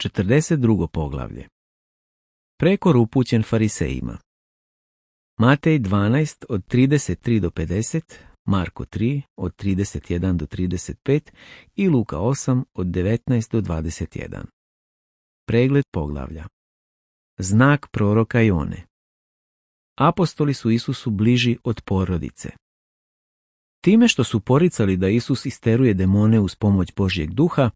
42. poglavlje. Prekor upućen farisejima. Matej 12 od 33 do 50, Marko 3 od 31 do 35 i Luka 8 od 19 do 21. Pregled poglavlja. Znak proroka Jone. Apostoli su Isusu bliži od porodice. Time što su poricali da Isus isteruje demone uz pomoć Božjeg duha,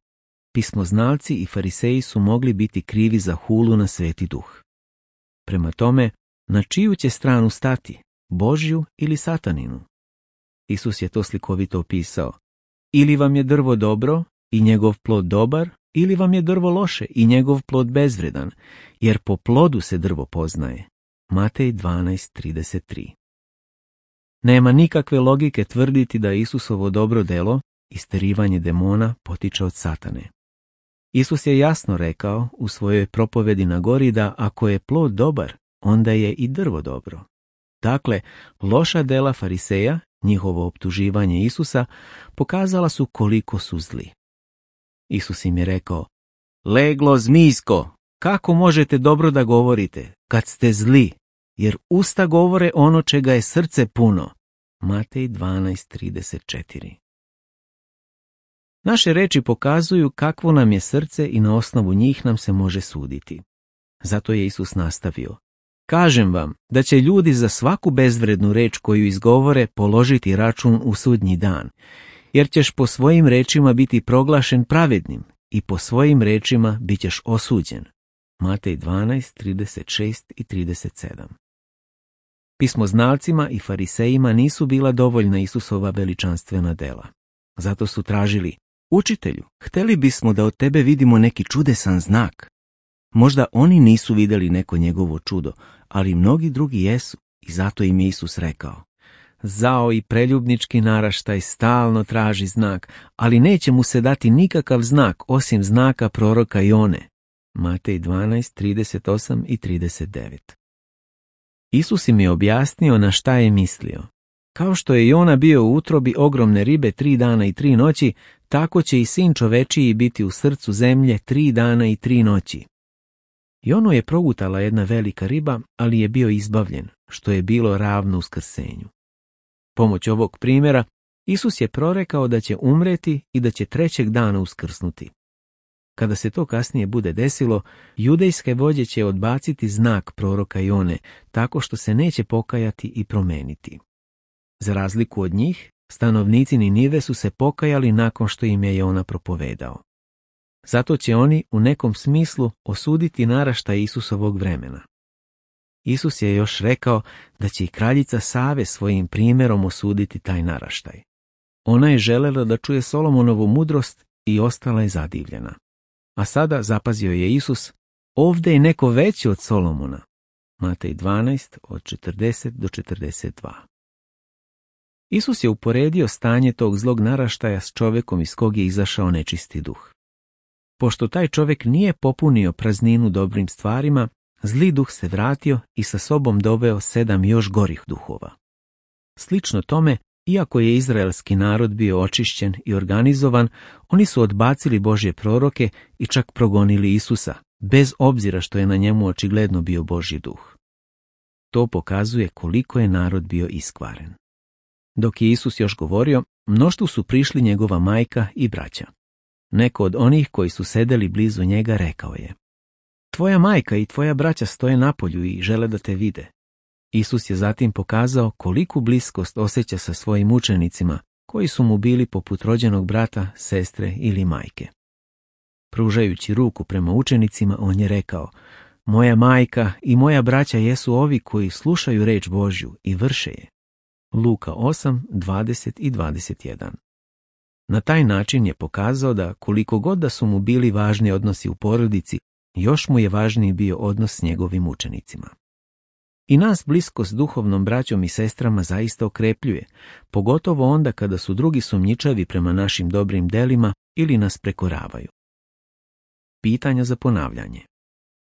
pismoznalci i fariseji su mogli biti krivi za hulu na Sveti duh. Prema tome, na čiju će stranu stati, Božju ili Sataninu? Isus je to slikovito opisao. Ili vam je drvo dobro i njegov plod dobar, ili vam je drvo loše i njegov plod bezvredan, jer po plodu se drvo poznaje. Matej 12:33. Nema nikakve logike tvrditi da Isusovo dobro delo, isterivanje demona, potiče od Satane. Isus je jasno rekao u svojoj propovedi na gori da ako je plod dobar, onda je i drvo dobro. Dakle, loša dela fariseja, njihovo optuživanje Isusa, pokazala su koliko su zli. Isus im je rekao: leglo zmijsko, kako možete dobro da govorite kad ste zli, jer usta govore ono čega je srce puno. Matej 12:34. Naše reči pokazuju kakvo nam je srce i na osnovu njih nam se može suditi. Zato je Isus nastavio: kažem vam da će ljudi za svaku bezvrednu reč koju izgovore položiti račun u sudnji dan, jer ćeš po svojim rečima biti proglašen pravednim i po svojim rečima bit ćeš osuđen. Matej 12:36 i 37. Pismoznalcima i farisejima nisu bila dovoljna Isusova veličanstvena dela. Zato su tražili: učitelju, hteli bismo da od tebe vidimo neki čudesan znak. Možda oni nisu vidjeli neko njegovo čudo, ali mnogi drugi jesu, i zato im je Isus rekao: zao i preljubnički naraštaj stalno traži znak, ali neće mu se dati nikakav znak osim znaka proroka Jone. Matej 12:38 i 39. Isus im je objasnio na šta je mislio. Kao što je Jona bio u utrobi ogromne ribe 3 dana i 3 noći, tako će i sin čovečiji biti u srcu zemlje 3 dana i 3 noći. Jonu je progutala jedna velika riba, ali je bio izbavljen, što je bilo ravno uskrsenju. Pomoć ovog primjera, Isus je prorekao da će umreti i da će 3. dana uskrsnuti. Kada se to kasnije bude desilo, judejske vođe će odbaciti znak proroka Jone, tako što se neće pokajati i promeniti. Za razliku od njih, stanovnici Ninive su se pokajali nakon što im je Jona propovedao. Zato će oni u nekom smislu osuditi naraštaj Isusovog vremena. Isus je još rekao da će i kraljica Save svojim primjerom osuditi taj naraštaj. Ona je želela da čuje Solomonovu mudrost i ostala je zadivljena. A sada, zapazio je Isus, ovdje je neko veći od Solomona. Matej 12 od 40 do 42. Isus je uporedio stanje tog zlog naraštaja s čovjekom iz kog je izašao nečisti duh. Pošto taj čovjek nije popunio prazninu dobrim stvarima, zli duh se vratio i sa sobom doveo 7 još gorih duhova. Slično tome, iako je izraelski narod bio očišćen i organizovan, oni su odbacili Božje proroke i čak progonili Isusa, bez obzira što je na njemu očigledno bio Božji duh. To pokazuje koliko je narod bio iskvaren. Dok je Isus još govorio, mnoštvu su prišli njegova majka i braća. Neko od onih koji su sedeli blizu njega rekao je: tvoja majka i tvoja braća stoje napolju i žele da te vide. Isus je zatim pokazao koliku bliskost osjeća sa svojim učenicima, koji su mu bili poput rođenog brata, sestre ili majke. Pružajući ruku prema učenicima, on je rekao: moja majka i moja braća jesu ovi koji slušaju reč Božju i vrše je. Luka 8, 20 i 21. Na taj način je pokazao da koliko god da su mu bili važni odnosi u porodici, još mu je važniji bio odnos s njegovim učenicima. I nas bliskost s duhovnom braćom i sestrama zaista okrepljuje, pogotovo onda kada su drugi sumnjičavi prema našim dobrim delima ili nas prekoravaju. Pitanja za ponavljanje.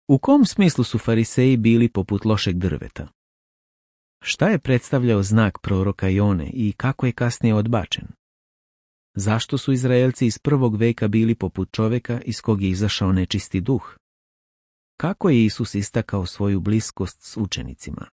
U kom smislu su fariseji bili poput lošeg drveta? Šta je predstavljao znak proroka Jone i kako je kasnije odbačen? Zašto su Izraelci iz prvog veka bili poput čovjeka iz kog je izašao nečisti duh? Kako je Isus istakao svoju bliskost s učenicima?